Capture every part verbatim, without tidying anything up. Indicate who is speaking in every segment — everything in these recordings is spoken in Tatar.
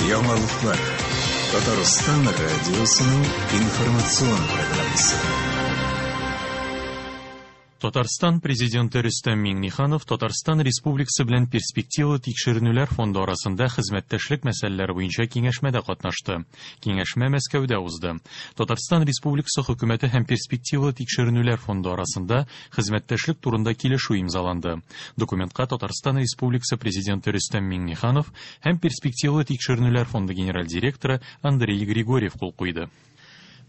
Speaker 1: Яңалыклар. Татарстан радиосының информацион программасы.
Speaker 2: Татарстан Президенты Рөстәм Миңнеханов Татарстан Республикасы белән Перспективалы тикшеренүләр фонды арасында хезмәттәшлек мәсьәләләре буенча киңәшмәдә катнашты. Киңәшмә Мәскәүдә узды. Татарстан Республикасы хөкүмәте һәм Перспективалы тикшеренүләр фонды арасында хезмәттәшлек турында килешү имзаланды. Документка Татарстан Республикасы Президенты Рөстәм Миңнеханов һәм Перспективалы тикшеренүләр фонды генераль директоры Андрей Григорьев кул куйды.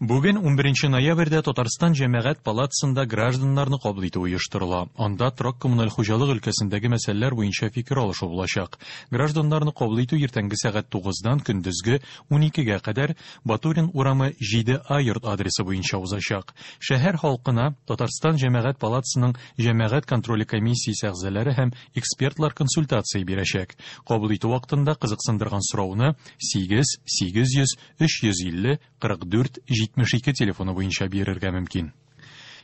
Speaker 2: Бүген унберенче ноябрьдә Татарстан Җәмәгать палатасында гражданнарны кабул итү оештырыла. Анда торак коммуналь хуҗалык өлкәсендәге мәсьәләләр буенча фикер алышу булачак. Гражданнарны кабул итү иртәнге сәгать тугыздан көндезге уникегә кадәр Батурин урамы җиде А йорт адресы буенча узачак. Шәһәр халкына Татарстан Җәмәгать палатасының Җәмәгать контроле комиссиясе әгъзалары һәм экспертлар консультация бирәчәк. Кабул итү вакытында кызыксындырган сорауны сигез сигез йөз өч йөз илле кырык дүрт җитмеш ике телефоны буенча бирергә мөмкин.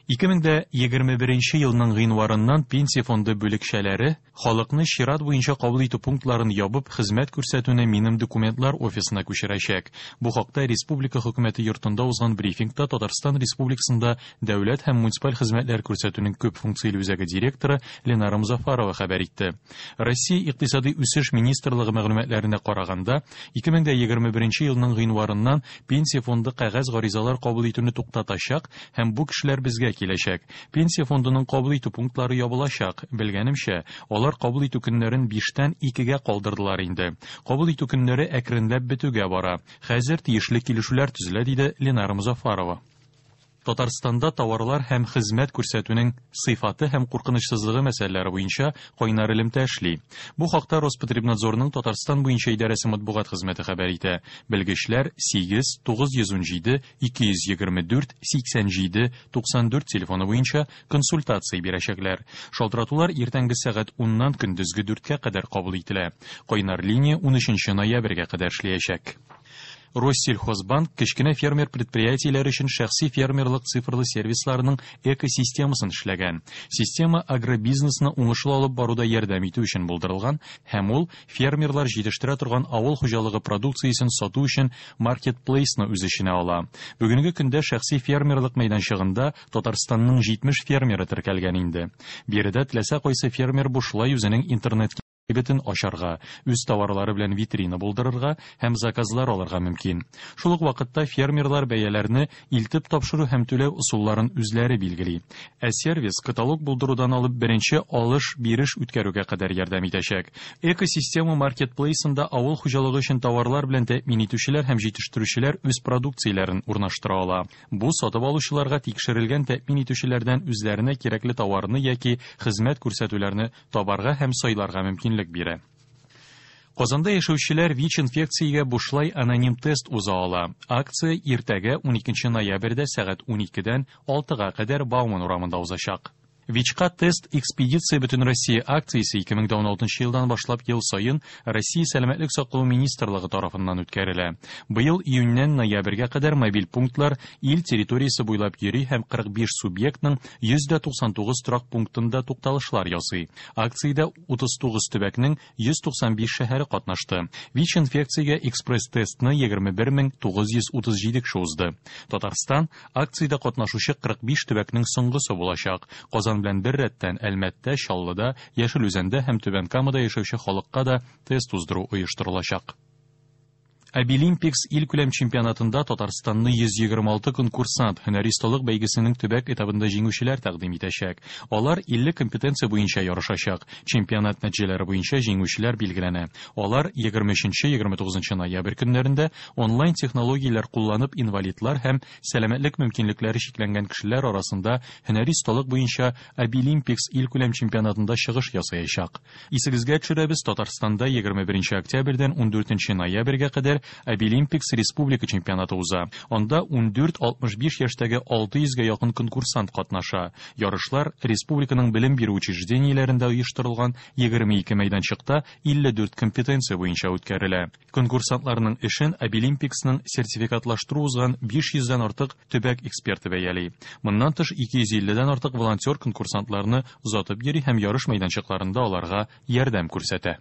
Speaker 2: Ике мең дә егерме беренче елның гыйнварыннан пенсия фонды бүлекчәләре халыкны чират буенча кабул итү пунктларын ябып хезмәт күрсәтүне минем документлар офисына күчерәчәк. Бу хакта Республика хөкүмәте йортында узган брифингта Татарстан Республикасында дәүләт һәм муниципаль хезмәтләр күрсәтүнең күп функцияле үзәге директоры Ленара Музафарова хәбәр итте. Россия Икътисади үсеш министрлыгы мәгълүматларына караганда, ике мең дә егерме беренче елның гыйнварыннан пенсия фонды кәгазь гаризалар кабул итүне туктатачак һәм бу кешеләр безгә киләчәк. Пенсия фондының кабул итү пунктлары ябылачак. Белгәнемчә, алар кабул итү көннәрен биштән икегә калдырдылар инде. Кабул итү көннәре әкренләп бетүгә бара. Хәзер тиешле килешүләр төзелә, диде Ленара Музафарова. Татарстанда товарлар һәм хезмәт күрсәтүнең сыйфаты һәм куркынычсызлыгы мәсьәләләре буенча кайнар элемтә эшли. Бу хакта Роспотребнадзорның Татарстан буенча идарәсе матбугат хезмәте хәбәр итә. Белгечләр сигез тугыз йөз унҗиде ике йөз егерме дүрт сиксән җиде туксан дүрт телефоны буенча консультация бирәчәкләр. Шалтыратулар иртәнге сәгать уннан көндезге дүрткә кадәр кабул ителә. Кайнар линия унөченче ноябрьгә кадәр эшләячәк. Россельхозбанк кечкенә фермер предприятиеләре өчен шәхси фермерлык цифрлы сервисларының экосистемасын эшләгән. Система агробизнесны уңышлы алып баруда ярдәм итү өчен булдырылган һәм ул фермерлар җитештерә торган авыл хуҗалыгы продукциясен сату өчен маркетплейсны үз эченә ала. Бүгенге көндә шәхси фермерлык мәйданчыгында Татарстанның җитмеш фермеры теркәлгән инде. Биредә теләсә кайсы фермер бушлай үзенең интернет кибетен ачарга, үз товарлары белән витрина булдырырга һәм заказлар алырга мөмкин. Шул ук вакытта фермерлар бәяләрне илтеп тапшыру һәм түләү ысулларын үзләре билгели. Ә сервис каталог булдырудан алып беренче алыш-биреш үткәрүгә кадәр ярдәм итәчәк. Экосистема маркетплейсында авыл хуҗалыгы өчен товарлар белән тәэмин итүчеләр һәм җитештерүчеләр үз продукцияләрен урнаштыра ала. Бу сатып алучыларга тикшерелгән тәэмин итүчеләрдән үзләренә кирәкле товарны яки хезмәт күрсәтүләрне табарга һәм сайларга мөмкинлек бирә. Казанда яшәүчеләр ВИЧ-инфекциягә бушлай аноним тест уза ала. Акция иртәгә уникенче ноябрьдә сәгать уникедән алтыга кадәр Бауман урамында узачак. ВИЧка тест экспедиция Бөтен Россия акциясе ике мең дә уналтынчы елдан башлап ел саен Россия Сәламәтлек саклау министрлыгы тарафыннан үткәрелә. Быел июньнән ноябрьгә кадәр мобиль пунктлар ил территориясе буйлап йөри һәм кырык биш субъектның йөз дә туксан тугыз торак пунктында тукталышлар ясый. Акциядә утыз тугыз төбәкнең йөз туксан биш шәһәре катнашты. ВИЧ-инфекциягә экспресс-тестны егерме бер мең тугыз йөз утыз җиде кеше узды. Татарстан акциядә катнашучы кырык биш төбәкнең соңгысы булачак. Казан белән бер рәттән Әлмәттә, Чаллыда, Яшел Үзәндә һәм Түбән Камада яшәүче халыкка да тест уздыру оештырылачак. Абилимпикс илкүләм чемпионатында Татарстанны йөз егерме алты конкурсант һөнәри осталык бәйгесенең төбәк этабында җиңүчеләр тәкъдим итәчәк. Алар илле компетенция буенча ярышачак. Чемпионат нәтиҗәләре буенча җиңүчеләр билгеләнә. Алар егерме өченче, егерме тугызынчы ноябрь көннәрендә онлайн технологияләр кулланып инвалидлар һәм сәламәтлек мөмкинлекләре чикләнгән кешеләр арасында һөнәри осталык буенча Абилимпикс илкүләм чемпионатында чыгыш ясаячак. Исегезгә төшерәбез, Татарстанда егерме беренче октябрьдән ундүртенче ноябрьгә кадәр Абилимпикс республика чемпионаты уза. Анда ундүрт алтмыш биш яшьтәге алты йөзгә якын конкурсант катнаша. Ярышлар республиканың белем бирү учреждениеләрендә оештырылган егерме ике мәйданчыкта илле дүрт компетенция буенча үткәрелә. Конкурсантларның эшен Абилимпиксның сертификатлаштыру узган биш йөздән артык төбәк эксперты бәяли. Моннан тыш ике йөз илледән артык волонтер конкурсантларны озатып йөри һәм ярыш мәйданчыкларында аларга ярдәм күрсәтә.